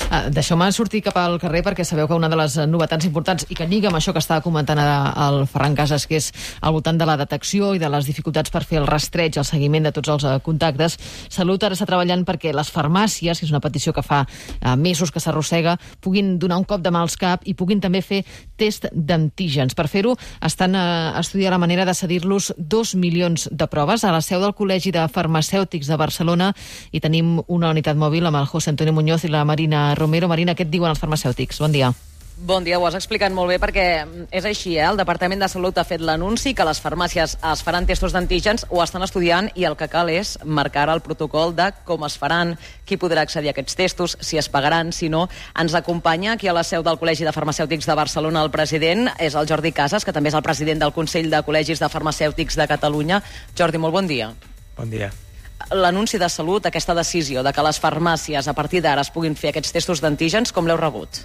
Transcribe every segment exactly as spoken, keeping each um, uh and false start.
Uh, Deixeu-me sortir cap al carrer perquè sabeu que una de les novetats importants i que lliga amb això que estava comentant ara el Ferran Casas, que és al voltant de la detecció i de les dificultats per fer el rastreig, el seguiment de tots els uh, contactes. Salut ara està treballant perquè les farmàcies, que és una petició que fa uh, mesos que s'arrossega, puguin donar un cop de mà als cap i puguin també fer test d'antígens. Per fer-ho, estan uh, estudiant la manera de cedir-los dos milions de proves a la seu del Col·legi de Farmacèutics de Barcelona, i tenim una unitat mòbil amb el José Antonio Muñoz i la Marina Romero. Marina, què et diuen els farmacèutics? Bon dia. Bon dia, ho has explicat molt bé perquè és així, eh? El Departament de Salut ha fet l'anunci que les farmàcies es faran testos d'antígens, ho estan estudiant, i el que cal és marcar el protocol de com es faran, qui podrà accedir a aquests testos, si es pagaran, si no. Ens acompanya aquí a la seu del Col·legi de Farmacèutics de Barcelona el president, és el Jordi Casas, que també és el president del Consell de Col·legis de Farmacèutics de Catalunya. Jordi, molt bon dia. Bon dia. L'anunci de Salut, aquesta decisió de que les farmàcies a partir d'ara es puguin fer aquests testos d'antígens, com l'heu rebut?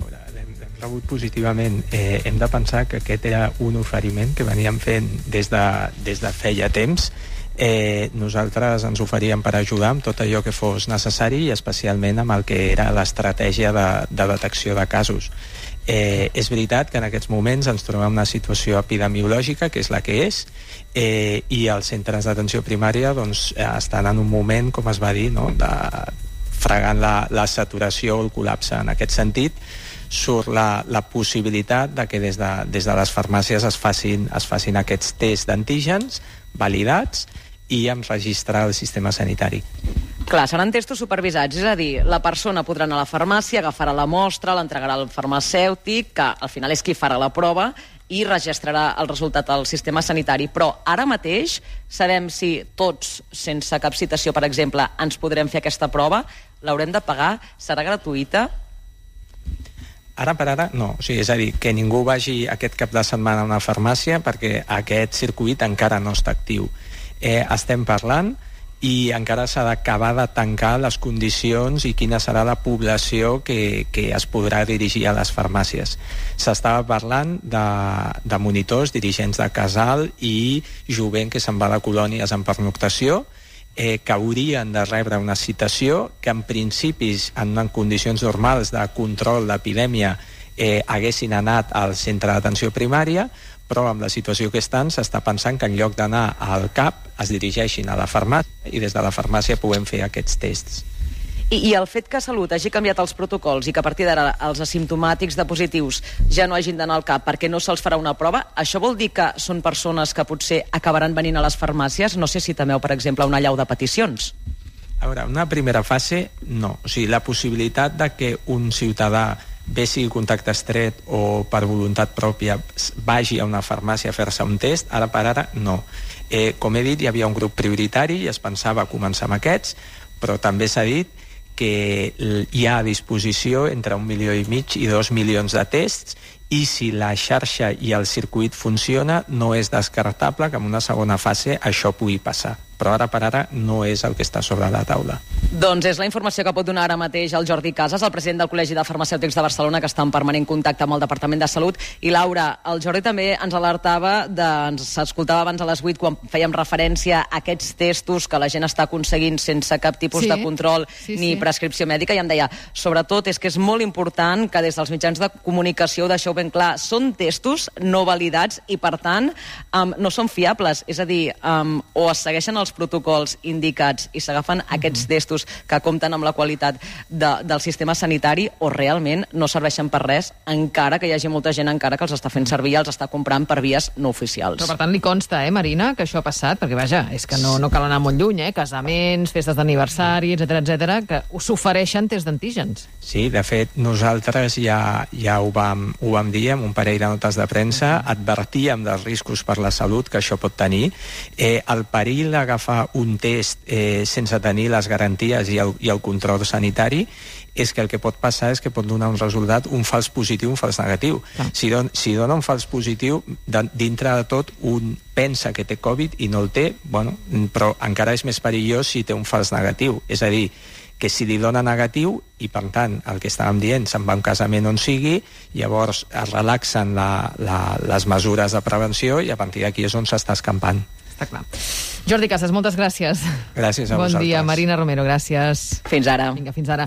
L'hem rebut positivament. Eh, hem de pensar que aquest era un oferiment que veníem fent des de, des de feia temps. Eh, nosaltres ens oferíem per ajudar amb tot allò que fos necessari, i especialment amb el que era l'estratègia de, de detecció de casos. Eh, és veritat que en aquests moments ens trobem en una situació epidemiològica, que és la que és, eh, i els centres d'atenció primària doncs, estan en un moment, com es va dir, no?, de fregant la, la saturació o el col·lapse. En aquest sentit, surt la, la possibilitat de que des de, des de les farmàcies es facin, es facin aquests tests d'antígens validats i amb registrar el sistema sanitari. Clar, seran testos supervisats, és a dir, la persona podrà anar a la farmàcia, agafarà la mostra, l'entregarà al farmacèutic, que al final és qui farà la prova, i registrarà el resultat al sistema sanitari. Però ara mateix sabem si tots, sense cap citació, per exemple, ens podrem fer aquesta prova, l'haurem de pagar, serà gratuïta? Ara per ara, no. O sigui, és a dir, que ningú vagi aquest cap de setmana a una farmàcia perquè aquest circuit encara no està actiu. Eh, estem parlant i encara s'ha d'acabar de tancar les condicions i quina serà la població que, que es podrà dirigir a les farmàcies. S'estava parlant de, de monitors, dirigents de casal i jovent que se'n va de colònies en pernoctació, eh, que haurien de rebre una citació, que en principis, en, en condicions normals de control d'epidèmia, eh, haguessin anat al centre d'atenció primària, però amb la situació que estan s'està pensant que en lloc d'anar al C A P es dirigeixin a la farmàcia i des de la farmàcia puguem fer aquests tests. I, I el fet que Salut hagi canviat els protocols i que a partir d'ara els asimptomàtics de positius ja no hagin d'anar al C A P perquè no se'ls farà una prova, això vol dir que són persones que potser acabaran venint a les farmàcies? No sé si temeu, per exemple, una allau de peticions. A veure, una primera fase, no. O sigui, la possibilitat de que un ciutadà, bé sigui contacte estret o per voluntat pròpia, vagi a una farmàcia a fer-se un test, ara per ara no. Eh, com he dit, hi havia un grup prioritari i es pensava començar amb aquests, però també s'ha dit que hi ha a disposició entre un milió i mig i dos milions de tests, i si la xarxa i el circuit funciona, no és descartable que en una segona fase això pugui passar. Però ara per ara no és el que està sobre la taula. Doncs és la informació que pot donar ara mateix el Jordi Casas, el president del Col·legi de Farmacèutics de Barcelona, que està en permanent contacte amb el Departament de Salut. I Laura, el Jordi també ens alertava, de, ens escoltava abans a les vuit quan fèiem referència a aquests testos que la gent està aconseguint sense cap tipus sí, de control sí, ni sí. prescripció mèdica, i em deia, sobretot és que és molt important que des dels mitjans de comunicació ho deixeu ben clar, són testos no validats i per tant um, no són fiables, és a dir, um, o es segueixen els protocols indicats i s'agafen uh-huh. aquests testos que compten amb la qualitat de, del sistema sanitari, o realment no serveixen per res, encara que hi hagi molta gent encara que els està fent servir i els està comprant per vies no oficials. Però per tant li consta, eh, Marina, que això ha passat? Perquè vaja, és que no, no cal anar molt lluny, eh? Casaments, festes d'aniversari, etcètera, etcètera, que s'ofereixen tests d'antígens. Sí, de fet, nosaltres ja, ja ho, vam, ho vam dir amb un parell de notes de premsa, advertíem dels riscos per la salut que això pot tenir. Eh, el perill d'agafar un test eh, sense tenir les garanties i el, i el control sanitari és que el que pot passar és que pot donar un resultat, un fals positiu, un fals negatiu. Ah. Si, don, si dona un fals positiu, de, dintre de tot, un pensa que té Covid i no el té, bueno, però encara és més perillós si té un fals negatiu. És a dir, que si li dona negatiu i, per tant, el que estàvem dient, se'n va a un casament on sigui, llavors es relaxen la, la, les mesures de prevenció i a partir d'aquí és on s'està escampant. Està clar. Jordi Casas, moltes gràcies. Gràcies a bon vosaltres. Bon dia, Marina Romero, gràcies. Fins ara. Vinga, fins ara.